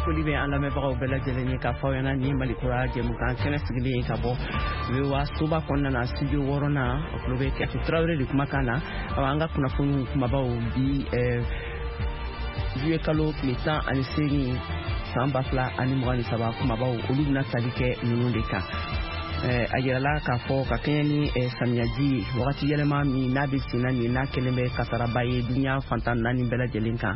Foli bɛ an lamɛnbagaw bɛɛ lajɛlen ye k'a fɔ aw ɲɛna nin ye Malikura jɛmukan kɛnɛ sigilen ye ka bɔ VOA soba kɔnɔna na, studio wɔɔrɔnan. O tulo bɛ Kɛtu Tarawele de kumakan na. Awa, an ka kunnafoniw kumabaw bi, juillet kalo tile 18 san 2023, kumabaw olu bɛna tali kɛ ninnu de kan. A yirala k'a fɔ ka kɛɲɛ ni samiyaji ye, wagati yɛlɛma min n'a bɛ senna nin, n'a kɛlen bɛ kasaraba ye duniya fantan naani bɛɛ lajɛlen kan,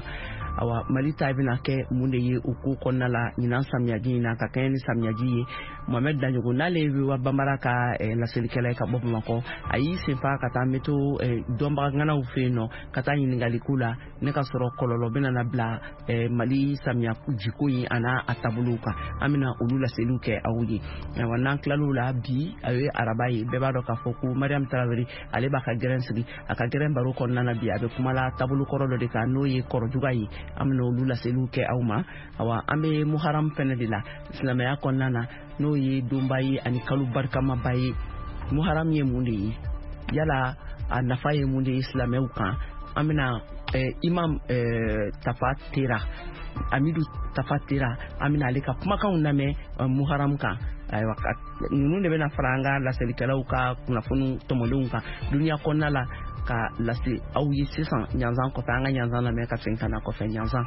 awa, Mali ta bɛna kɛ mun de ye o ko kɔnɔna la ɲinan samiyaji in na, ka kɛɲɛ ni samiyaji ye? Mohamɛd Daɲogo, n'ale ye VOA Banbara ka laselikɛla ye ka bɔ Bamakɔ, a y'i senfa ka taa météo dɔnbaga ŋanaw fɛ yen nɔ ka taa ɲininkali k'u la ne ka sɔrɔ kɔlɔlɔ bɛna na bila Mali samiya jiko in a n'a a taabolow kan. An bɛna olu laseliw kɛ aw ye. Ayiwa, n'an tilal'o la, bi a ye araba ye, bɛɛ b'a dɔn k'a fɔ ko Mariam Tarawele, ale b'a ka gɛrɛn sigi. A ka gɛrɛn baro kɔnɔna na bi, a bɛ kumala taabolo kɔrɔ dɔ de kan, n'o ye kɔrɔjuga ye. An bɛna olu laseliw kɛ aw ma. Awa, an bɛ Muharam fɛnɛ de la silamɛya kɔnɔna na, n'o ye donba ye ani kalo barikamaba ye. Muharam ye mun de ye? Yala a nafa ye mun de ye silamɛw kan? An bɛna imam Tafa Tera, Amidu Tafa Tera, an bɛna ale ka kumakanw lamɛn Muharam kan. Ayiwa, ninnu de bɛna fara an ka laselikɛlaw ka kunnafoniw tɔmɔlenw kan duniya kɔnɔna la ka lase aw ye sisan. Ɲanzan kɔfɛ, an ka ɲanzan lamɛn ka segin ka na kɔfɛ ɲanzan.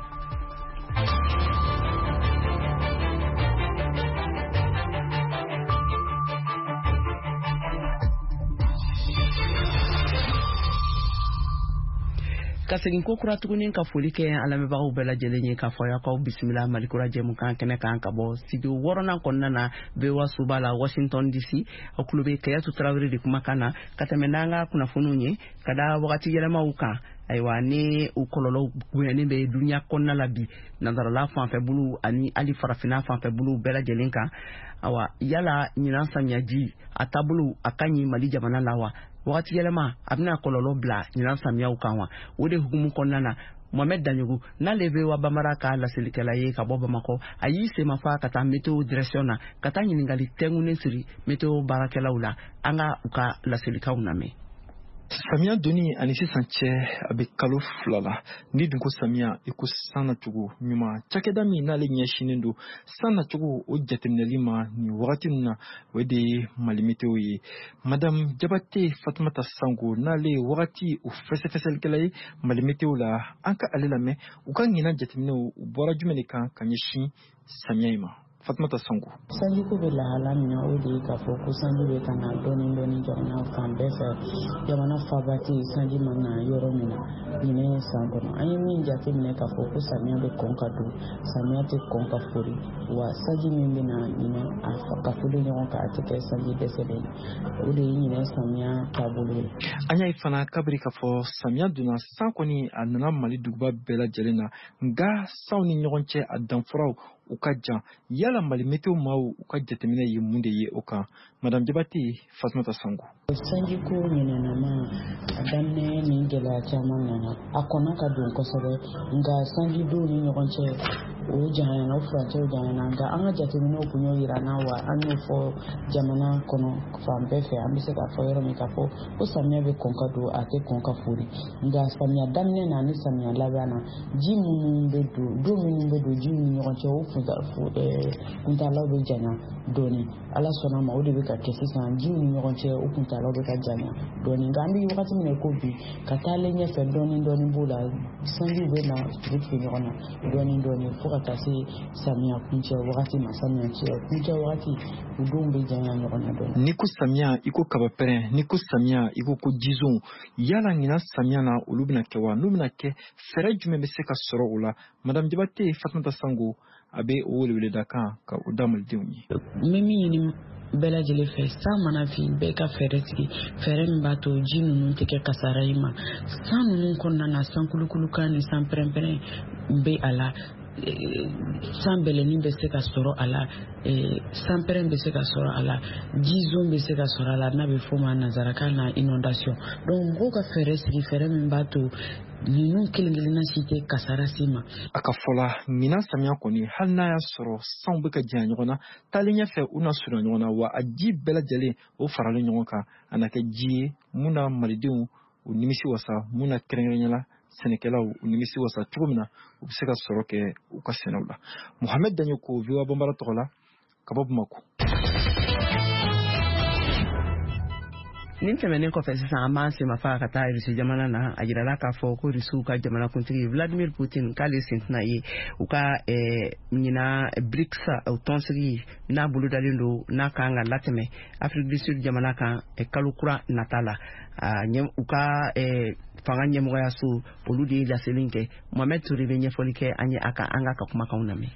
Ka segin ko kura tuguni ka foli kɛ an lamɛnbagaw bɛɛ lajɛlen ye k'a fɔ y'aw bisimila Malikura jɛmukan kɛnɛ kan ka bɔ studio wɔɔrɔnan kɔnɔna na, VOA soba la, Washington DC. Aw tulo bɛ Kayatu Tarawele de kumakan na ka tɛmɛ n'an ka kunnafoniw ye ka da wagati yɛlɛmaw kan. Ayiwa, ni o kɔlɔlɔ bonyanen bɛ duniya kɔnɔna la bi, nansarala fanfɛ bolow ani hali farafinna fanfɛ bolow bɛɛ lajɛlen kan, awa, yala ɲinan samiyaji a taabolo a ka ɲi Mali jamana la wa? Wagati yɛlɛma a bɛna kɔlɔlɔ bila ɲinan samiyaw kan wa? O de hukumu kɔnɔna na, Mohamed Daɲogo, n'ale bɛ wa Bamara ka laselikɛla ye ka bɔ Bamakɔ, a y'i senmafa ka taa météo direction na ka taa ɲininkali tɛnkunnen siri météo baarakɛlaw la. An ka u ka laselikanw lamɛn. Samiya donni ani sisan cɛ, a bɛ kalo 2 la. Ni dun ko samiya, i ko san nacogo ɲuman. Cakɛda min n'ale ɲɛsinnen don san nacogo o jateminɛli ma nin wagati ninnu na, o de ye Mali Météo ye. Madame Jabate Fatumata Sango, n'ale ye wagati o fɛsɛfɛsɛlikɛla ye Mali Météo la, an ka ale lamɛn. U ka ɲinan jateminɛw, u bɔra jumɛn de kan ka ɲɛsin samiya in ma? Fatumata Sango. Sanjiko bɛ lahala min na, o de ye k'a fɔ ko sanji bɛ ka na dɔɔni dɔɔni jamana fan bɛɛ fɛ. Jamana faba tɛ yen sanji ma na yɔrɔ min na ɲinɛ san kɔnɔ. An ye min jateminɛ k'a fɔ ko samiya bɛ kɔn ka don, samiya tɛ kɔn ka fori. Wa sanji min bɛ na ɲinɛ a ka foli ɲɔgɔn kan, a tɛ kɛ sanji dɛsɛlen ye. O de ye ɲinɛ samiya taabolo ye. An y'a ye fana kabiri k'a fɔ samiya donna, san kɔni a nana Mali duguba bɛɛ lajɛlen na, nka sanw ni ɲɔgɔn cɛ a danfaraw u ka jan. Yala Mali Météo maaw u ka jateminɛ ye mun de ye o kan? Madame Jabate Fatumata Sango. Sanjiko ɲinɛnama, a daminɛ ni gɛlɛya caman nana, a kɔnna ka don kosɛbɛ, nka sanjidenw ni ɲɔgɔn cɛ o janyana, o furancɛw janyana. Nka an ka jateminɛw kun y'o yira an na, wa an y'o fɔ jamana kɔnɔ fan bɛɛ fɛ. An bɛ se k'a fɔ yɔrɔ min k'a fɔ ko samiya bɛ kɔn ka don, a tɛ kɔn ka fori. Nka samiya daminɛ na ni samiya laban na, ji minnu bɛ don, don minnu bɛ don jiw ni ɲɔgɔn cɛ, o kuntalaw bɛ janya dɔɔni. Ala sɔnna ma, o de bɛ ka kɛ sisan. Jiw ni ɲɔgɔn cɛ, o kuntalaw bɛ ka janya dɔɔni. Nka an bɛ wagati min na ko bi, ka taalen ɲɛfɛ, dɔɔni dɔɔni b'o la, sanjiw bɛ na tugu tugu ɲɔgɔn na dɔɔni dɔɔni fo ka taa se samiya kuncɛ wagati ma. Samiya kuncɛ wagati, o donw bɛ janya ɲɔgɔn na dɔɔni. N'i ko samiya, i ko kabapɛrɛn. N'i ko samiya, i ko ko jizon. Yala ɲinan samiya na, olu bɛna kɛ wa? N'u bɛna kɛ, fɛɛrɛ jumɛn bɛ se ka sɔrɔ o la? Madame Jabate Fatumata Sango, a bɛ o weleweleda kan ka o da malidenw ye. N bɛ min ɲini bɛɛ lajɛlen fɛ, san mana fin, bɛɛ ka fɛɛrɛ sigi, fɛɛrɛ min b'a to ji ninnu tɛ kɛ kasara ye ma. San ninnu kɔnɔna na, san kulukulukan ni san pɛrɛnpɛrɛn bɛ a la, san bɛlɛnin bɛ se ka sɔrɔ a la, san pɛrɛn bɛ se ka sɔrɔ a la, jizon bɛ se ka sɔrɔ a la, n'a bɛ f'o ma nanzarakan na inondation. Donc mɔgɔw ka fɛɛrɛ sigi, fɛɛrɛ min b'a to ninnu kelen kelenna si tɛ kasara se ma. A ka fɔ la, ɲinan samiya kɔni, hali n'a y'a sɔrɔ sanw bɛ ka janya ɲɔgɔn na, taalen ɲɛfɛ u na surunya ɲɔgɔn na, wa a ji bɛɛ lajɛlen o faralen ɲɔgɔn kan, a na kɛ ji ye mun na malidenw u nimisi wasa, mun na kɛrɛnkɛrɛnnenya la sɛnɛkɛlaw u nimisi wasa cogo min na u bɛ se ka sɔrɔ kɛ u ka sɛnɛw la. Mohamed Dagnoko, VOA Bambara tɔgɔ la, ka bɔ Bamakɔ. Nin tɛmɛnen kɔfɛ, sisan an b'an senmafa ka taa Irisi jamana na. A jirala k'a fɔ ko Irisiw ka jamanakuntigi Vladimir Putin k'ale sen tɛna ye u ka ɲina BRICS tɔnsigi n'a bolodalen don, n'a kan ka latɛmɛ Afrique du Sud jamana kan kalo kura nata la. U ka fanga ɲɛmɔgɔyaso, olu de ye laseli kɛ. Mohamed Toure bɛ ɲɛfɔli kɛ an ye a kan. An ka kumakanw lamɛn.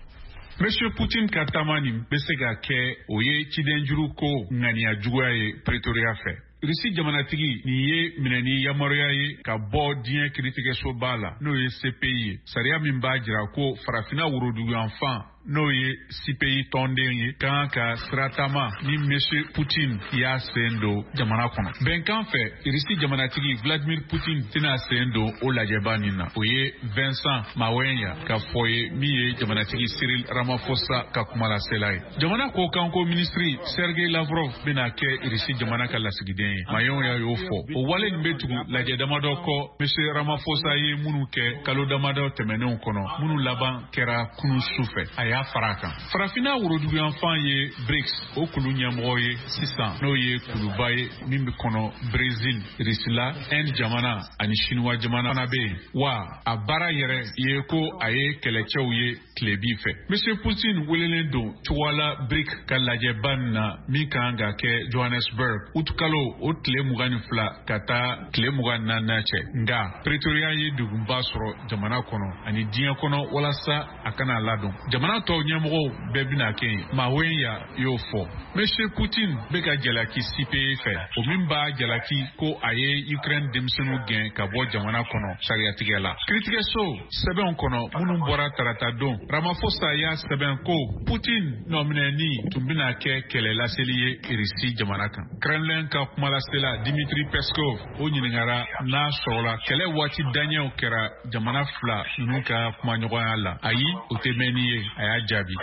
Monsieur Putin ka taama nin bɛ se ka kɛ o ye cidenjuru ko ŋaniya juguya ye Pretoria fɛ. Risi jamanatigi nin ye minɛni yamaruya ye ka bɔ diɲɛ kiritigɛsoba la, n'o ye CPI ye. Sariya min b'a jira ko Farafina woroduguyanfan, n'o ye CPI tɔnden ye, kan ka siratama ni Monsieur Putin y'a sen don jamana kɔnɔ. Bɛnkan fɛ, Risi jamanatigi Vladimir Putin tɛna sen don o lajɛba nin na. O ye Vincent Mawenya ka fɔ ye, min ye jamanatigi Cyril Ramaphosa ka kumalasela ye. Jamana kɔkanko minisiri Sergei Lavrov bɛna kɛ Risi jamana ka lasigiden ye. Mawenya y'o fɔ. O wale nin bɛ tugu lajɛ damadɔ kɔ Monsieur Ramaphosa ye minnu kɛ kalo damadɔ tɛmɛnenw kɔnɔ, minnu laban kɛra kunu su fɛ. A y'a fara a kan. Farafinna woroduguyanfan ye BRICS o kulu ɲɛmɔgɔ ye sisan, n'o ye kuluba ye min bɛ kɔnɔ Brésil, Risila, Inde jamana ani Chinois jamana fana bɛ yen. Wa a baara yɛrɛ ye ko a ye kɛlɛcɛw ye tilebi fɛ. Monsieur Putin welelen don cogoya la BRIC ka lajɛba nin na min kan ka kɛ Johannesburg utukalo o tile 22 ka taa tile 24 cɛ. Nka Pretoria ye degunba sɔrɔ jamana kɔnɔ ani diɲɛ kɔnɔ walasa a kana ladon. Jamana tɔw ɲɛmɔgɔw bɛɛ bɛna kɛ yen. Mawenya y'o fɔ. Monsieur Putin bɛ ka jalaki CPI fɛ, o min b'a jalaki ko a ye Ukraine denmisɛnninw gɛn ka bɔ jamana kɔnɔ sariyatigɛ la. Kiritigɛso sɛbɛnw kɔnɔ minnu bɔra tarata don, Ramaphosa y'a sɛbɛn ko Putin nɔminɛni tun bɛna kɛ kɛlɛ laseli ye Irisi jamana kan. Kremlin ka kumalasela Dimitri Peskov, o ɲininkara n'a sɔrɔla kɛlɛ waati daɲɛw kɛra jamana fila ninnu ka kumaɲɔgɔnya la. Ayi, o tɛ mɛn ni ye, a y'a jaabi.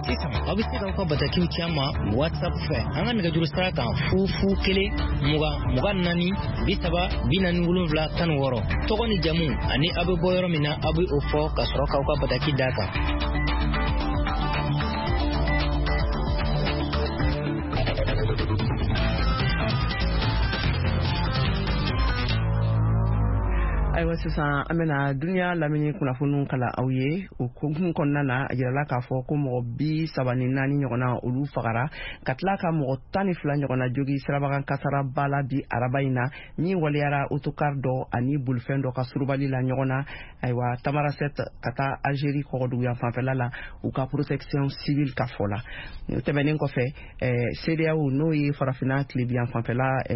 Sisan aw bɛ se k'aw ka batakiw ci an ma WhatsApp fɛ, an ka nɛgɛjuru sira kan: 0 0 1 20 24 30 47 16. Tɔgɔ ni jamu ani aw bɛ bɔ yɔrɔ min na, aw bɛ o fɔ ka sɔrɔ k'aw ka bataki d'a kan. Ayiwa, sisan an bɛna duniya lamini kunnafoniw kala aw ye. O hukumu kɔnɔna na, a jirala k'a fɔ ko mɔgɔ 34 ɲɔgɔnna, olu fagara ka tila ka mɔgɔ 12 ɲɔgɔnna jogi sirabakan kasaraba la bi araba in na, min waleyara autocar dɔ ani bolifɛn dɔ ka surubali la ɲɔgɔn na, ayiwa, Tamarasɛt ka taa Algérie kɔgɔduguyan fanfɛla la, u ka protection civile ka fɔ la. O tɛmɛnen kɔfɛ, CEDEAO, n'o ye Farafinna tilebiyan fanfɛla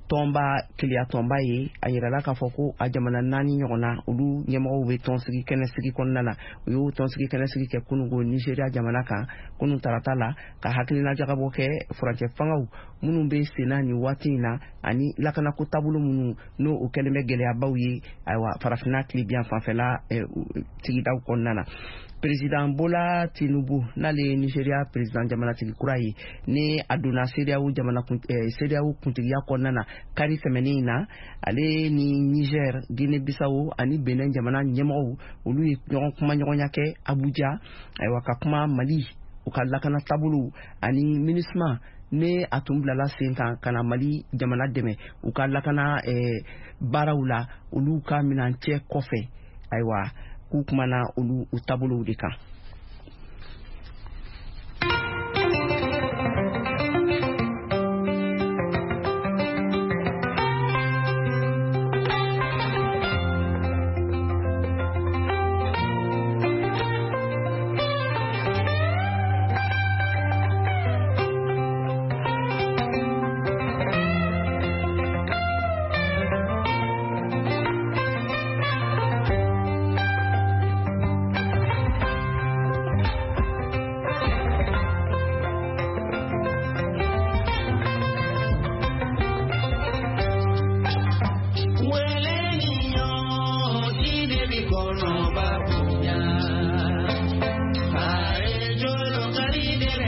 tɔnba, keleya tɔnba ye, a yirala k'a fɔ ko a jamana naani ɲɔgɔnna, olu ɲɛmɔgɔw bɛ tɔnsigi kɛnɛsigi kɔnɔna na. U y'o tɔnsigi kɛnɛsigi kɛ kununko Nigéria jamana kan kunun tarata la, ka hakilina jagabɔ kɛ furancɛ fangaw minnu bɛ senna nin waati in na ani lakanako taabolo minnu n'o o kɛlen bɛ gɛlɛyabaw ye, ayiwa, Farafinna tilebiyan fanfɛla sigidaw kɔnɔna na. Président Bola Tinubu, n'ale ye Nigeria président jamanatigi kura ye, ni a donna CEDEAO jamana CEDEAO kuntigiya kɔnɔna na kari tɛmɛnen in na, ale ni Niger, Guinée Bissau ani Benin jamana ɲɛmɔgɔw, olu ye ɲɔgɔn kumaɲɔgɔnya kɛ Abuja, ayiwa, ka kuma Mali u ka lakana taabolow ani MINUSMA ne a tun bilala sen kan ka na Mali jamana dɛmɛ u ka lakana baaraw la, olu ka minancɛ kɔfɛ. Ayiwa, k'u kumana olu u taabolow de kan.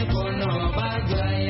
Kɔnɔba.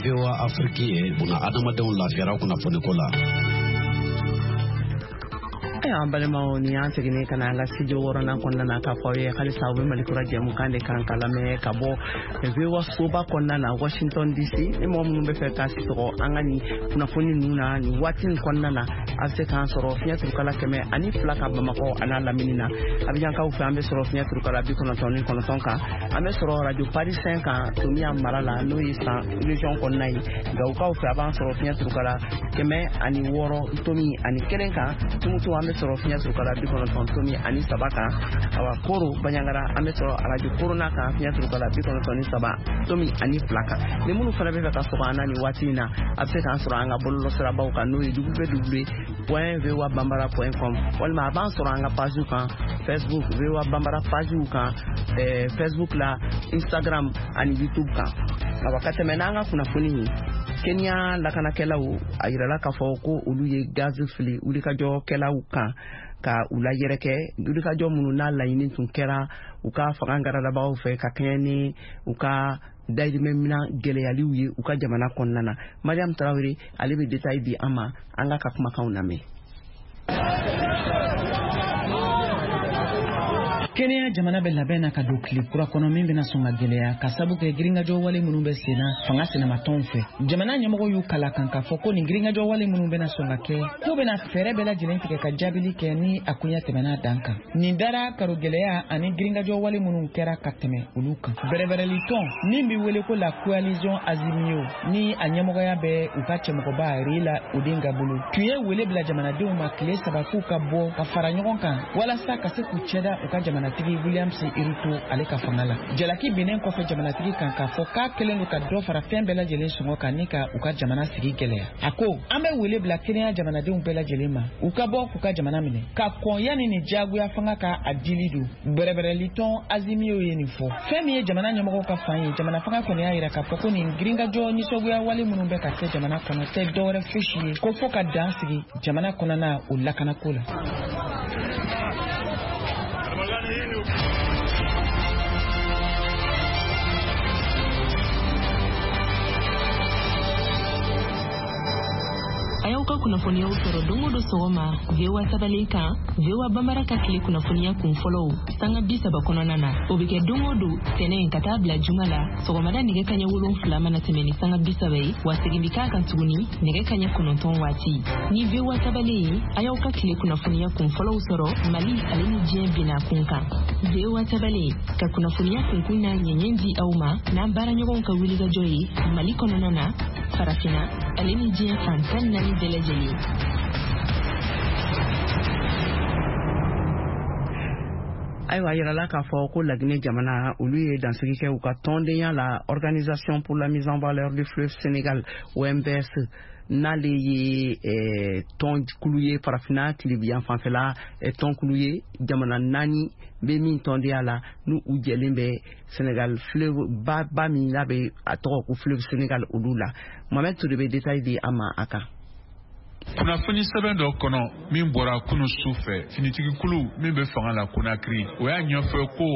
VOA Afrique ye buna adamadenw lafiyara kunnafoniko la. Ayiwa, an balimaw, ni y'an seginnen ka na an ka studio wɔɔrɔnan kɔnɔna na k'a fɔ aw ye halisa aw bɛ Malikura jɛmukan de kan ka lamɛn ka bɔ VOA soba kɔnɔna na, Washington DC. Ni mɔgɔ minnu bɛ fɛ k'a sɔgɔ an ka nin kunnafoni ninnu na nin waati nin kɔnɔna na, a bɛ se k'an sɔrɔ fiɲɛ turukala 102 kan Bamakɔ a n'a lamini na. Abijankaw fɛ, an bɛ sɔrɔ fiɲɛ turukala 99 kan. An bɛ sɔrɔ radio Paris 5 kan Tomiya mara la, n'o ye San région kɔnɔna ye. Gawukaw fɛ, a b'an sɔrɔ fiɲɛ turukala 106.1 kan. Tumutu, an bɛ sɔrɔ fiɲɛ turukala 90.3 kan. Awa, Koro Baɲangara, an bɛ sɔrɔ radio Korona kan fiɲɛ turukala 93.2 kan. Ni minnu fana bɛ fɛ ka sɔgɔ an na nin waati in na, a bɛ se k'an sɔrɔ an ka bɔlɔlɔsirabaw kan, n'o ye www.voabambara.com, walima a b'an sɔrɔ an ka page kan Facebook, VOA Bambara page kan Facebook la, Instagram ani YouTube kan. Awa, ka tɛmɛ n'an ka kunnafoni ye, Kenya lakanakɛlaw a yirala k'a fɔ ko olu ye gazi fili wulikajɔkɛlaw kan ka u layɛrɛkɛ, wulikajɔ minnu n'a laɲini tun kɛra u ka fanga garadabagaw fɛ ka kɛɲɛ ni u ka dayirimɛminan gɛlɛyaliw ye u ka jamana kɔnɔna na. Mariam Tarawele, ale bɛ détail di an ma. An ka kumakanw lamɛn. Kenya jamana bɛ labɛn na ka don tile kura kɔnɔ min bɛna sɔn ka gɛlɛya, ka sabu kɛ girinkajɔ wale minnu bɛ sen na fanga sinamatɔnw fɛ. Jamana ɲɛmɔgɔ y'u kala kan k'a fɔ ko nin girinkajɔ wale minnu bɛna sɔn ka kɛ, k'u bɛna fɛɛrɛ bɛɛ lajɛlen tigɛ ka jaabili kɛ ni a koɲɛ tɛmɛna dan kan. Nin dara karo gɛlɛya ani girinkajɔ wale minnu kɛra ka tɛmɛ olu kan. Bɛrɛbɛrɛlitɔn min bɛ wele ko la coalition Azimio, ni a ɲɛmɔgɔya bɛ u ka cɛmɔgɔba Raila Odinga bolo, tun ye wele bila jamanadenw ma tile 3 k'u ka bɔ ka fara ɲɔgɔn kan walasa ka se k'u cɛda u ka jamana jamanatigi Williams Ruto ale ka fanga la. Jalaki binnen kɔfɛ jamanatigi kan k'a fɔ k'a kɛlen don ka dɔ fara fɛn bɛɛ lajɛlen sɔngɔ kan ni ka u ka jamana sigi gɛlɛya, a ko an bɛ wele bila Kenya jamanadenw bɛɛ lajɛlen ma, u ka bɔ k'u ka jamana minɛ ka kɔn yanni nin diyagoya fanga ka a dili don. Bɛrɛbɛrɛlitɔn Azimio ye nin fɔ. Fɛn min ye jamana ɲɛmɔgɔw ka fan ye, jamana fanga kɔni y'a yira k'a fɔ ko nin girinkajɔ nisɔngoya wale minnu bɛ ka kɛ jamana kɔnɔ tɛ dɔwɛrɛ fosi ye ko fɔ ka dan sigi jamana kɔnɔna o lakanako la. A y'aw ka kunnafoniyaw sɔrɔ don o don sɔgɔma VOA tabalen kan, VOA Bambara ka tile kunnafoniya kun fɔlɔw sanga 30 kɔnɔna na. O bɛ kɛ don o don tɛnɛn ka taa bila juma la, sɔgɔmada nɛgɛ kaɲɛ 7 mana tɛmɛ ni sanga 30 ye, wa segin bɛ k'a kan tuguni nɛgɛ kaɲɛ 9 waati. Ni VOA tabalen ye, a y'aw ka tile kunnafoniya kun fɔlɔw sɔrɔ Mali ale ni diɲɛ bina kun kan. VOA tabalen ka kunnafoniya kunkun n'a ɲɛɲɛ di aw ma n'an baaraɲɔgɔnw ka wulikajɔ ye Mali kɔnɔna na, Farafinna ale ni diɲɛ fan 14 bɛɛ lajɛlen. Ayiwa, a yirala k'a fɔ ko Laginɛ jamana, olu ye dansigi kɛ u ka tɔndenya la Organisation pour la mise en valeur du fleuve Sénégal, OMVS, n'ale ye tɔnkulu ye Farafinna tilebiyan fanfɛla tɔnkulu ye, jamana naani bɛ min tɔndenya la, n'u u jɛlen bɛ Sénégal fleuve ba ba min n'a bɛ a tɔgɔ ko fleuve Sénégal olu la. Mohamed Touré bɛ détail di an ma a kan. Kunnafoni sɛbɛn dɔ kɔnɔ min bɔra kunu su fɛ, finitigikulu min bɛ fanga la Konakiri, o y'a ɲɛfɔ ko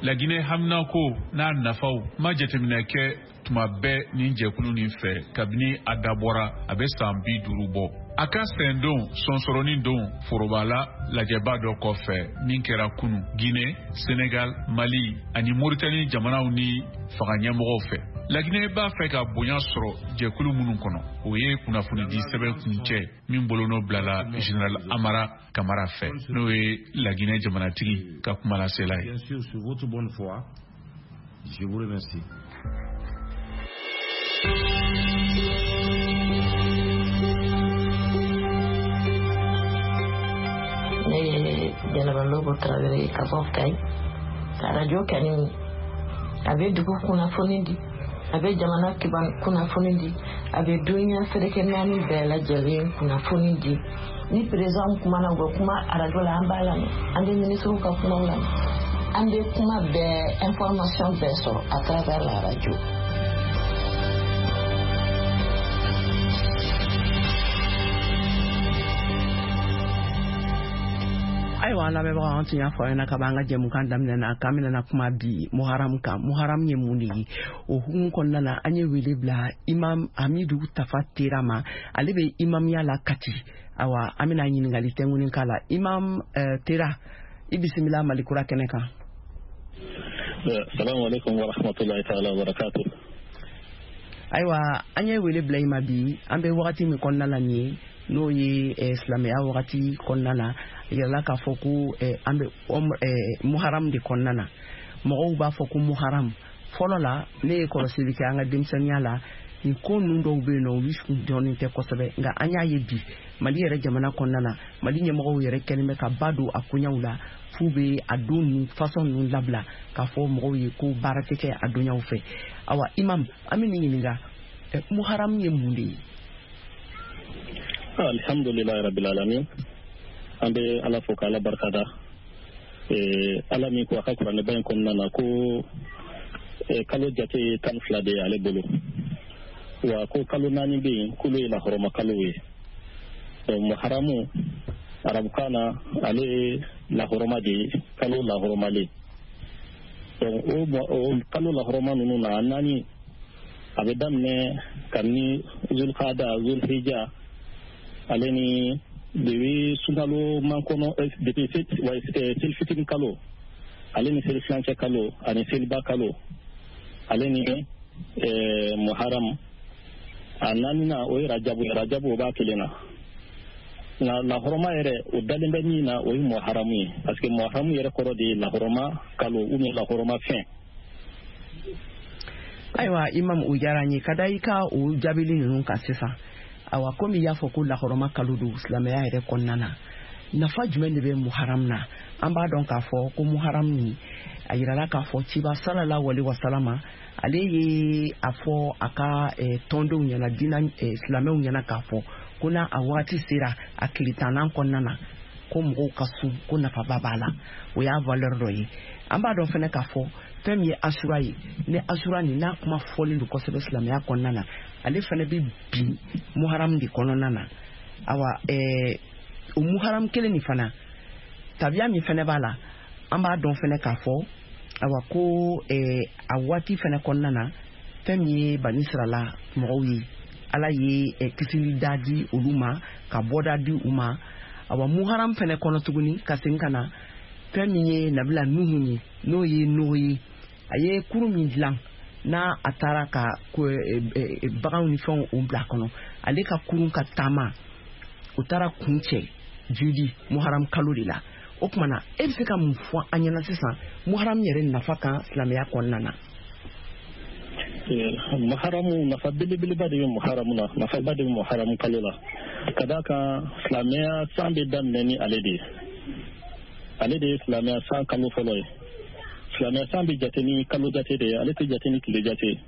Laginɛ haminako n'a nafaw ma jateminɛ kɛ tuma bɛɛ nin jɛkulu nin fɛ kabini a dabɔra a bɛ san 50 bɔ. A ka sɛndon sɔnsɔrɔnin don forobala lajɛba dɔ kɔfɛ min kɛra kunu Guinée, Sénégal, Mali ani Mauritanie jamanaw ni fanga ɲɛmɔgɔw fɛ. Laginɛ b'a fɛ ka bonya sɔrɔ jɛkulu minnu kɔnɔ, o ye kunnafonidi sɛbɛn kuncɛ min bolonɔ bilala général Amara Kamara fɛ, n'o ye Laginɛ jamanatigi ka kumalasela ye. Bien sûr, sur votre bonne foi, je vous remercie. Ne ye Jɛnɛba Lobo Tarawele ye ka bɔ Kayi. Ka arajo kanu, a bɛ dugu kunnafoni di, a bɛ jamana kunnafoni di, a bɛ duniya seleke naani bɛɛ lajɛlen kunnafoni di. Ni président kumana, u bɛ kuma arajo la, an b'a lamɛn. An bɛ ministres ka kumaw lamɛn, an bɛ kuma bɛɛ, information bɛɛ sɔrɔ à travers la radio. Ayiwa, an lamɛnbagaw, an tun y'a fɔ aw ɲɛna ka b'an ka jɛmukan daminɛ na k'an bɛna kuma bi Muharam kan. Muharam ye mun de ye? O hukumu kɔnɔna na, an ye wele bila Imam Hamidu Tafa Tera ma. Ale bɛ imamiya la Kati. Awa, an bɛna ɲininkali tɛnkuni k'a la. Imam Tera, i bisimila Malikura kɛnɛ kan. Salamu alaikum wa rahmatullahi ta'ala wa barakatuh. Ayiwa, an ye wele bila i ma bi. An bɛ wagati min kɔnɔna la nin ye, n'o ye silamɛya wagati kɔnɔna na, yirala k'a fɔ ko an bɛ Muharam de kɔnɔna na. Mɔgɔw b'a fɔ ko Muharam. Fɔlɔ la, ne ye kɔlɔsili kɛ an ka denmisɛnninya la, nin ko ninnu dɔw bɛ yen nɔ, olu dɔnnen tɛ kosɛbɛ. Nka an y'a ye bi, Mali yɛrɛ jamana kɔnɔna na, Mali ɲɛmɔgɔw yɛrɛ kɛlen bɛ ka ba don a koɲaw la, f'u bɛ a don ninnu façon ninnu labila k'a fɔ mɔgɔw ye ko baara tɛ kɛ a donyaw fɛ. Awa, imam, an bɛ nin ɲininka: Muharam ye mun de ye? Alhamdulilayi rabbil alamin. An bɛ Ala fo k'Ala barikada, Ala min ko a ka kuranɛba in kɔnɔna na ko kalo jate ye 12 de ye ale bolo, wa ko kalo 4 bɛ yen k'olu ye lahɔrɔma kalo ye. Donc Muharamu, arabukan na, ale ye lahɔrɔma de ye, kalo lahɔrɔmalen. Donc o kalo lahɔrɔma ninnu na, a 4, a bɛ daminɛ kabini Zulkada, Zulhija, ale ni depuis sunkalo mankɔnɔ, depuis selifitini kalo, ale ni seli filancɛ kalo, ani seliba kalo, ale ni Muharam. A naaninan, o ye Rajabu ye. Rajabu, o b'a kelen na. Nka lahɔrɔma yɛrɛ, o dalen bɛ min na, o ye Muharamu ye, parce que Muharamu yɛrɛ kɔrɔ de ye lahɔrɔma kalo ou bien lahɔrɔma fɛn. Ayiwa, imam, o diyara n ye ka da i ka o jaabili ninnu kan sisan. Awa, komi i y'a fɔ ko lahɔrɔma kalo don silamɛya yɛrɛ kɔnɔna na, nafa jumɛn de bɛ Muharam na? An b'a dɔn k'a fɔ ko Muharam nin, a yirala k'a fɔ ciba sallallahu alaihi wasalama, ale ye a fɔ a ka tɔndenw ɲɛna, diinɛ silamɛw ɲɛna, k'a fɔ ko n'a a wagati sera, a tile 10nan kɔnɔna na, ko mɔgɔw ka sun, ko nafaba b'a la. O y'a valeur dɔ ye. An b'a dɔn fɛnɛ k'a fɔ fɛn min ye Asura ye, ni Asura nin n'a kuma fɔlen don kosɛbɛ silamɛya kɔnɔna na, ale fɛnɛ bɛ bin Muharam de kɔnɔna na. Awa, o Muharam kelen nin fana, tabiya min fɛnɛ b'a la, an b'a dɔn fɛnɛ k'a fɔ, awa, ko a waati fɛnɛ kɔnɔna na, fɛn min ye Banisirala mɔgɔw ye, Ala ye kisili da di olu ma, ka bɔda di u ma. Awa, Muharam fɛnɛ kɔnɔ tuguni, ka segin ka na, fɛn min ye nabila Nuhu ye, n'o ye Nuhu ye, a ye kurun min dilan n'a a taara ka baganw ni fɛnw o bila a kɔnɔ, ale ka kurun ka taama, o taara kun cɛ jidi Muharam kalo de la. O tuma na, e bɛ se ka mun fɔ an ɲɛna sisan Muharam yɛrɛ nafa kan silamɛya kɔnɔna na? Muharamu, nafa belebeleba de bɛ Muharamu na, nafaba de bɛ Muharamu kalo la, ka d'a kan silamɛya san bɛ daminɛ ni ale de ye. Ale de ye silamɛya san kalo fɔlɔ ye. Silamɛya san bɛ jate ni kalo jate de ye, ale tɛ jate ni tile jate ye.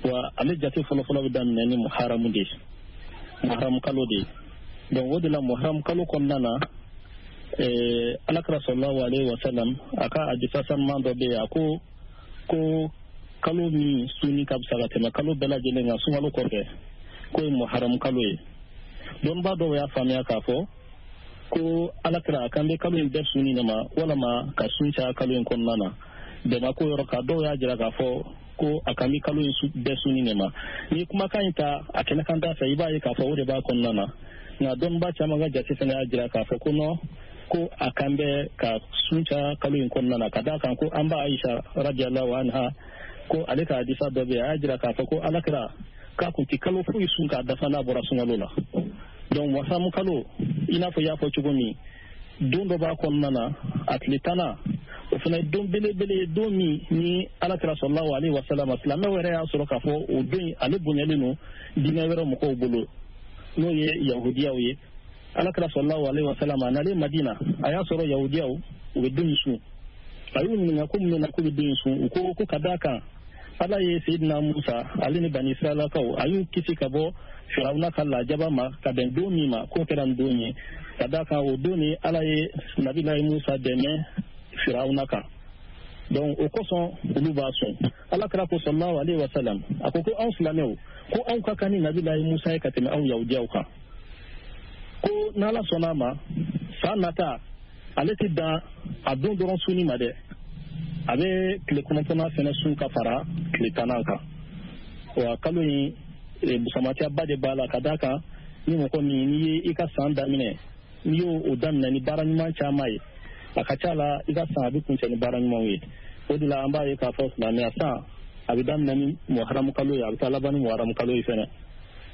Wa ale jate fɔlɔfɔlɔ bɛ daminɛ ni Muharamu de ye, Muharamu kalo de ye. Donc o de la, Muharamu kalo kɔnɔna na, Alakira sallallahu alaihi wa sallam, a ka hadisa sanuman dɔ bɛ yen, a ko ko kalo min sunni ka fisa ka tɛmɛ kalo bɛɛ lajɛlen kan sunkalo kɔfɛ, k'o ye Muharamu kalo ye. Dɔnnibaa dɔw y'a faamuya k'a fɔ ko Alakira a kan bɛ kalo in bɛɛ sunni de ma, walama ka sun caya kalo in kɔnɔna na. Bɛnba ko yɔrɔ kan, dɔw y'a jira k'a fɔ ko a kan bɛ kalo in bɛɛ sunni de ma. N'i ye kumakan in ta a kɛnɛkan da fɛ, i b'a ye k'a fɔ o de b'a kɔnɔna na. Nka dɔnnibaa caman ka jate fana y'a jira k'a fɔ ko non, ko a kan bɛ ka sun caya kalo in kɔnɔna na, ka d'a kan ko an ba Ayisa radiyallahu anha, ko ale ka hadisa dɔ bɛ yen, a y'a jira k'a fɔ ko Alakira k'a kun tɛ kalo foyi sun k'a dafa n'a bɔra sunkalo la. Donc Muharamu kalo, i n'a fɔ i y'a fɔ cogo min, don dɔ b'a kɔnɔna na, a tile 10nan, o fana ye don belebele ye, don min ni Alakira sallallahu alaihi wasallam, silamɛw yɛrɛ y'a sɔrɔ k'a fɔ o don ale bonyalen don diinɛ wɛrɛ mɔgɔw bolo, n'o ye yahudiyaw ye. Alakira sallallahu alaihi wasallam, a nalen Madina, a y'a sɔrɔ yahudiyaw u bɛ don in sun. A y'u ɲininka ko mun na k'u bɛ don in sun. U ko ko ka d'a kan Ala ye Seyidina Musa, ale ni Bani Israɛlakaw, a y'u kisi ka bɔ Firawuna ka lajaba ma ka bɛn don min ma, k'o kɛra nin don ye, ka d'a kan o don ni Ala ye Nabilayi Musa dɛmɛ Firawuna kan. Donc o kosɔn olu b'a sun. Alakira ko sallallahu alaihi wasallam, a ko ko anw silamɛw, ko anw ka kan ni Nabilayi Musa ye ka tɛmɛ anw yahudiyaw kan, ko n'Ala sɔnna a ma, san nata Ale tɛ dan a don dɔrɔn sunni ma dɛ, a bɛ tile 9nan fɛnɛ sun ka fara tile 10nan kan. Wa kalo in busamatiyaba de b'a la, ka d'a kan ni mɔgɔ min n'i ye i ka san daminɛ, n'i y'o daminɛ ni baara ɲuman caman ye, a ka ca la i ka san a bɛ kuncɛ ni baara ɲumanw ye. O de la an b'a ye k'a fɔ silamɛya san a bɛ daminɛ ni muharamu kalo ye, a bɛ taa laban ni muharamu kalo ye fɛnɛ.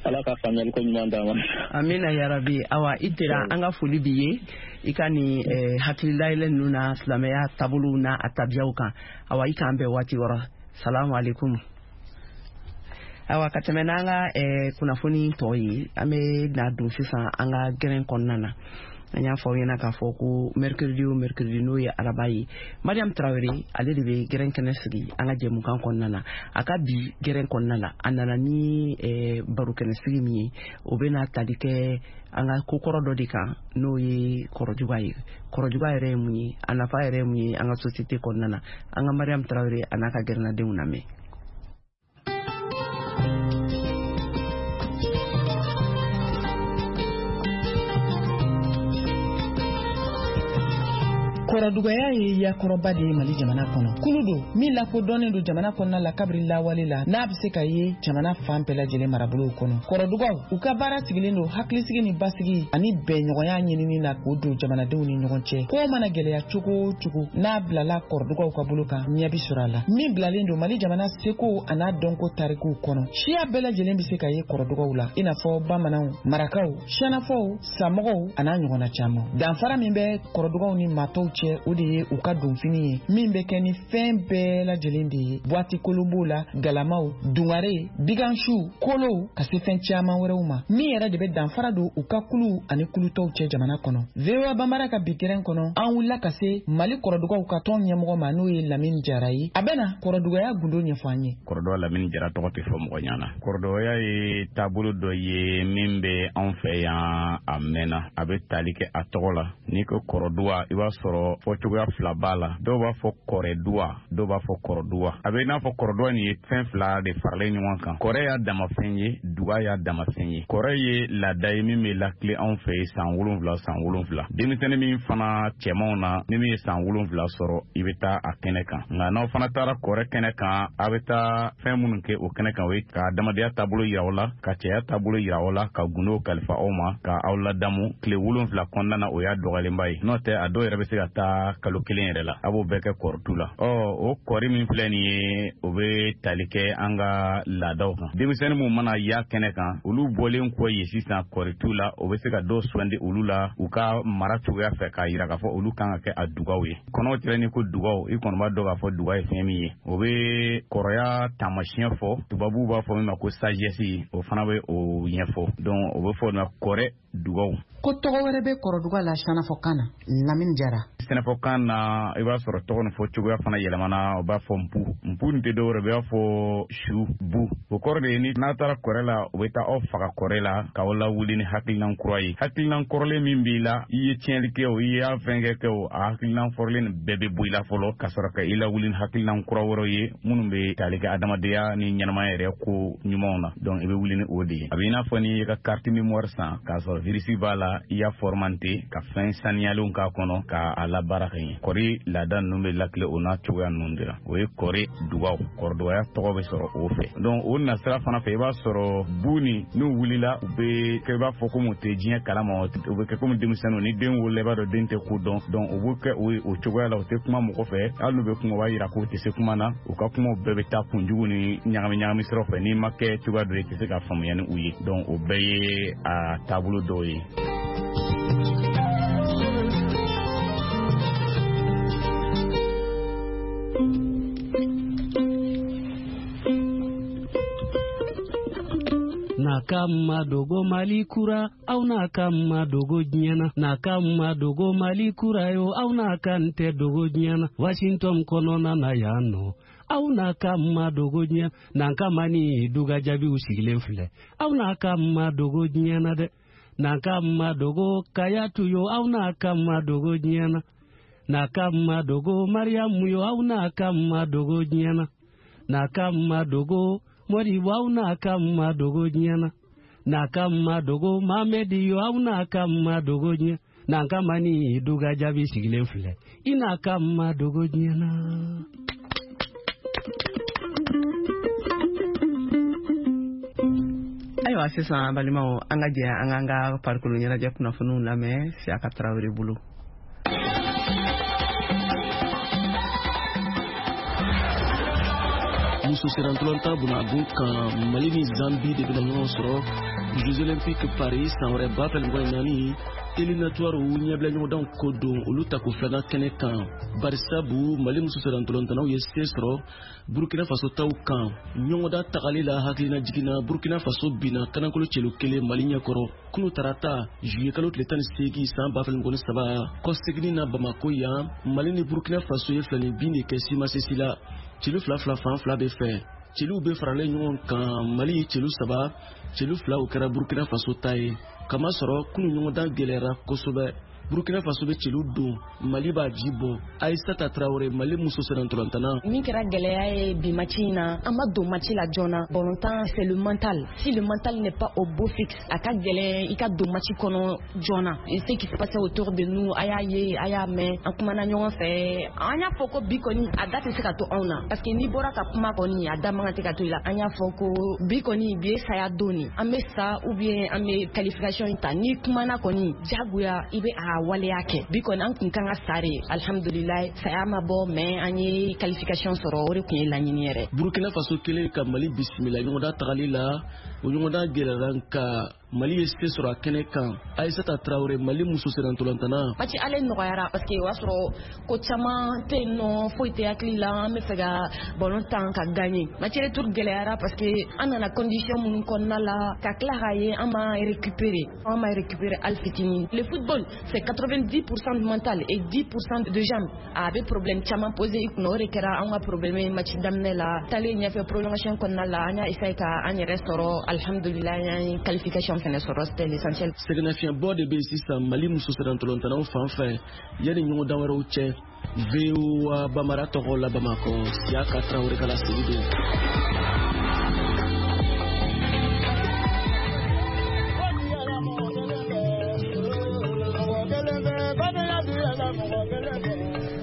Ala ka faamuyali ko ɲuman d'an ma. Amina yarabi. Awa i tera, an ka foli b'i ye i ka nin hakililayɛlɛ ninnu na silamɛya taabolow n'a a tabiyaw kan. Awa i k'an bɛn waati wɛrɛ. Salamu aleykum. Awa ka tɛmɛ n'an ka kunnafoni tɔ ye, an bɛ na don sisan an ka gɛrɛn kɔnɔna na. An y'a fɔ aw ɲɛna k'a fɔ ko mercredi o mercredi, n'o ye araba ye, Mariam Tarawele ale de bɛ gɛrɛn kɛnɛ sigi an ka jɛmukan kɔnɔna na. A ka bi gɛrɛn kɔnɔna la, a nana ni barokɛnɛ sigi min ye, o bɛna tali kɛ an ka kokɔrɔ dɔ de kan, n'o ye kɔrɔjuga ye. Kɔrɔjuga yɛrɛ ye mun ye, a nafa yɛrɛ ye mun ye an ka société kɔnɔna na? An ka Mariam Tarawele a n'a ka gɛrɛnnadenw lamɛn. Kɔrɔdugaya ye yakɔrɔba de ye Mali jamana kɔnɔ. Kulu don min lakodɔnnen don jamana kɔnɔna la kabiri lawale la, n'a bɛ se ka ye jamana fan bɛɛ lajɛlen marabolow kɔnɔ. Kɔrɔdugaw u ka baara sigilen don hakilisigi ni basigi ani bɛnɲɔgɔnya ɲinini na k'o don jamanadenw ni ɲɔgɔn cɛ. Ko mana gɛlɛya cogo o cogo, n'a bilala kɔrɔdugaw ka bolo kan, ɲɛ bi sɔrɔ a la. Min bilalen don Mali jamana seko an'a dɔnko tarikuw kɔnɔ. Siya bɛɛ lajɛlen bɛ se ka ye kɔrɔdugaw la, i n'a fɔ bamananw, marakaw, siyanafɔw, samɔgɔw an'a ɲɔgɔnna caman. Danfara min bɛ kɔrɔdugaw ni maatɔw cɛ, o de ye u ka donfini ye, min bɛ kɛ ni fɛn bɛɛ lajɛlen de ye. Buwati kolon b'o la, galamaw, dungare, bigansiw, kolow, ka se fɛn caman wɛrɛw ma. Min yɛrɛ de bɛ danfara don u ka kuluw ani kulutɔw cɛ jamana kɔnɔ. VOA Bambara ka bi gɛrɛn kɔnɔ, an wulila ka se Mali kɔrɔdugaw ka tɔn ɲɛmɔgɔ ma, n'o ye Lamini Jara ye. A bɛna kɔrɔdugaya gundo ɲɛfɔ an ye. Kɔrɔdɔ Lamini Jara tɔgɔ tɛ fɔ mɔgɔ ɲɛna. Kɔrɔdɔya ye taabolo dɔ ye min bɛ anw fɛ yan a mɛnna. A bɛ tali kɛ a tɔgɔ la. N'i ko kɔrɔduwa, i b'a sɔrɔ fɔcogoya fila b'a la. Dɔw b'a fɔ kɔrɛduwa, dɔw b'a fɔ kɔrɔduwa. A bɛ i n'a fɔ kɔrɔduwa nin ye fɛn fila de faralen ɲɔgɔn kan. Kɔrɛ y'a damafɛn ye, duga y'a damafɛn ye. Kɔrɛ ye laada ye min bɛ lakile anw fɛ yen san 7 san 7. Denmisɛnnin min fana cɛmanw na, ni min ye san 7 sɔrɔ, i bɛ taa a kɛnɛ kan. Nka n'aw fana taara kɔrɛ kɛnɛ kan, a bɛ taa fɛn minnu kɛ o kɛnɛ kan, o ye ka adamadenya taabolo yira aw la, ka cɛya taabolo yira aw la, ka gundow kalifa aw ma, ka aw ladamu tile 7 kɔnɔna na. O y'a dɔgɔyalenba ye, n'o tɛ a dɔw yɛrɛ bɛ se ka taa kalo 1 yɛrɛ la. A b'o bɛɛ kɛ kɔrɔtu la. O kɔri min filɛ nin ye, o bɛ tali kɛ an ka laadaw kan. Denmisɛnnin minnu mana y'a kɛnɛ kan, olu bɔlen kɔ yen sisan kɔritu la, o bɛ se ka dɔw sugandi olu la u ka mara cogoya fɛ, k'a yira k'a fɔ olu kan ka kɛ a dugaw ye. Kɔnɔw tɛrɛ ni ko dugaw, i kɔni b'a dɔn k'a fɔ duga ye fɛn min ye. O bɛ kɔrɔya taamasiyɛn fɔ, tubabuw b'a fɔ min ma ko sagesse, o fana bɛ o ɲɛfɔ. Donc o bɛ fɔ o ma kɔrɛ dugaw. Ko tɔgɔ wɛrɛ bɛ kɔrɔduga la sɛnɛfɔkan na, Lamini Jara. Sɛnɛfɔkan na, i b'a sɔrɔ tɔgɔ nin fɔ cogoya fana yɛlɛmana. O b'a fɔ npu. Npu nin tɛ dɔwɛrɛ, b'a fɔ su bu. O kɔrɔ de ye ni n'a taara kɔrɛ la, u bɛ taa aw faga kɔrɛ la k'aw lawuli ni hakilinan kura ye. Hakilinan kɔrɔlen min b'i la, i ye tiɲɛli kɛ o, i y'a fɛn kɛ o, a hakilinan kɔrɔlen nin bɛɛ bɛ bɔ i la fɔlɔ, ka sɔrɔ ka i lawuli ni hakilinan kura wɛrɛw ye minnu bɛ tali kɛ adamadenya ni ɲɛnamaya yɛrɛ ko ɲumanw na. Donc i bɛ wuli ni o de ye. A bɛ i n'a fɔ n'i y'i ka carte mémoire san k'a sɔrɔ virus b'a la, i y'a formanté ka fɛn saniyalenw k'a kɔnɔ k'a labaara ka ɲɛ. Kɔri laada ninnu bɛ lakile o n'a cogoya ninnu de la. O ye kɔri dugaw, kɔrɔdugaya tɔgɔ bɛ sɔrɔ o fɛ. Donc o nasira fana fɛ, i b'a sɔrɔ bu ni n'u wulila, u bɛ kɛ i b'a fɔ komi u tɛ diɲɛ kalama, u bɛ kɛ komi denmisɛnninw. Ni den wolola, i b'a dɔn den tɛ ko dɔn. Donc u bɛ kɛ o cogoya la, u tɛ kuma mɔgɔ fɛ. Hali n'u bɛ kuma, u b'a yira k'u tɛ se kuma na. U ka kumaw bɛɛ bɛ taa kunjugu ni ɲagami ɲagami siraw fɛ. N'i ma kɛ cogoya dɔ ye, i tɛ se ka faamuya ni u ye. Donc o bɛɛ ye a taabolo dɔw ye. N'a ka madogo Mali kura, aw n'a ka madogo diɲɛ na. N'a ka madogo Mali kura yo, aw n'a ka n tɛ dogo diɲɛ na. Washington kɔnɔna na yan nɔ, aw n'a ka madogo diɲɛ. N'an ka mani duga jaabiw sigilen filɛ, aw n'a ka madogo diɲɛ na dɛ. N'an ka madogo Kayatu yo, aw n'a ka madogo diɲɛ na. N'a ka madogo Mariyamu yo, aw n'a ka madogo diɲɛ na. N'a ka madogo Modibo, aw n'a ka madogo diɲɛ na. N'a ka madogo Mamedi yo, aw n'a ka madogo diɲɛ. N'an ni duga jaabi sigilen filɛ i n'a ka ma dogo diɲɛ na. Ayiwa sisan balimaw, an ka jɛ an k'an ka farikolo ɲɛnajɛ kunnafoniw lamɛn Siyaka Tarawele bolo. Muso sennantolatan bunagun kan, Mali ni Zambi de bɛna ɲɔgɔn sɔrɔ Jeux Olympiques Paris san wɛrɛ 2024 éliminatoire ɲɛbila ɲɔgɔndanw ko don, olu tako filanan kɛnɛ kan. Barisabu Mali muso sennantolatannaw ye se sɔrɔ Burkina Faso taw kan ɲɔgɔndan tagali la. Hakilina jiginna, Burkina Faso binna kanankolo celu kelen Mali ɲɛkɔrɔ kunu tarata juillet kalo tile 18 san 2023 kɔseginni na Bamako yan. Mali ni Burkina Faso ye filani bin de kɛ simasesi la, celu fila fila fan fila bɛ fɛ. Celu bɛ faralen ɲɔgɔn kan, Mali ye celu saba, celu fila o kɛra Burkina Faso ta ye. Kamasɔrɔ kunu ɲɔgɔndan gɛlɛyara kosɛbɛ. Burkina Faso bɛ celu don, Mali b'a ji bɔ. Aissata Traoré, Mali muso sennantolatan. Min kɛra gɛlɛya ye bi match in na, an ma don match la joona. Balontan, c'est le mental. Si le mental n'est pas au beau fixe, a ka gɛlɛn i ka don match kɔnɔ joona. Et ce qui se passait autour de nous, a y'a ye, a y'a mɛn, an kumana ɲɔgɔn fɛ, an y'a fɔ ko bi kɔni a da tɛ se ka to anw na, parce que n'i bɔra ka kuma kɔni, a da man kan tɛ ka to i la. An y'a fɔ ko bi kɔni, bi ye saya don de, an bɛ sa ou bien an bɛ qualification in ta. N'i kumana kɔni, diyagoya i bɛ a waleya kɛ. Bi kɔni an kun kan ka sa de, alhamdulilayi saya ma bɔ, mais an ye qualification sɔrɔ, o de kun ye laɲini yɛrɛ. Burkina Faso kelen ka Mali bisimila ɲɔgɔndan tagali la, o ɲɔgɔndan gɛlɛyara, nka Mali ye se sɔrɔ a kɛnɛ kan. Aissata Traoré, Mali muso sennantolatan. Match ale nɔgɔyara parce que o y'a sɔrɔ ko caman tɛ yen nɔ, foyi tɛ hakili la, an bɛ fɛ ka ballon tan ka gagner. Match retour gɛlɛyara parce que an nana condition minnu kɔnɔna la, ka tila k'a ye an ma récupérer, an ma récupérer hali fitinin. Le football, c'est 90% de mental et 10% de jambes. A bɛ problème caman poser i kunna, o de kɛra an ka problème ye match daminɛ la. Taalen ɲɛfɛ prolongation kɔnɔna la, an y'a essayer ka an yɛrɛ sɔrɔ, alhamdulilayi an ye qualification fɛnɛ sɔrɔ, c'était l'essentiel. Sɛgɛnnafiɲɛbɔ de bɛ yen sisan Mali muso sennantolatannaw fan fɛ yanni ɲɔgɔndan wɛrɛw cɛ. VOA Bamara tɔgɔ la Bamakɔ, Siyaka Tarawele ka laseli don.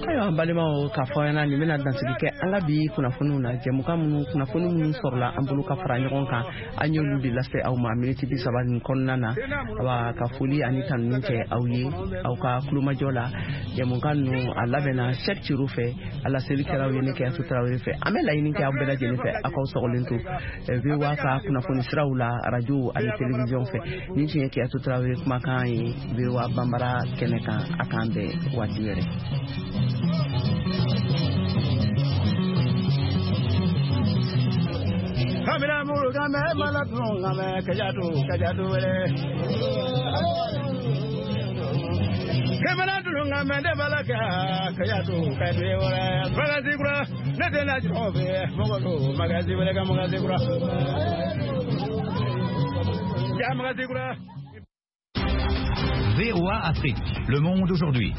Ayiwa balimaw, k'a fɔ ɲɛna nin bɛna dansigi kɛ an ka bi kunnafoniw na. Jɛmukan minnu, kunnafoni minnu sɔrɔla an bolo ka fara ɲɔgɔn kan, an y'olu de lase aw ma miniti 30 nin kɔnɔna na. Awa ka foli ani tanuni kɛ aw ye aw ka kulomajɔ la. Jɛmukan ninnu a labɛnna Cheick Ciro fɛ, a laseli kɛra aw ye ne Kɛyasu Tarawele fɛ. An bɛ laɲini kɛ aw bɛɛ lajɛlen fɛ aw k'aw sɔgɔlen to VOA ka kunnafoni siraw la, arajo ani télévision fɛ. Nin tun ye Kɛyasu Tarawele kumakan ye VOA Banbara kɛnɛ kan. A k'an bɛn waati wɛrɛ. Kamera muru kame malatu kame kajatu kajatu wele. Kamera dulu kame de balaka kajatu kajatu wele. Magazi kura ne de na jobe mogolo magazi wele ka magazi kura. Ja magazi kura. VOA Afrique, le monde aujourd'hui.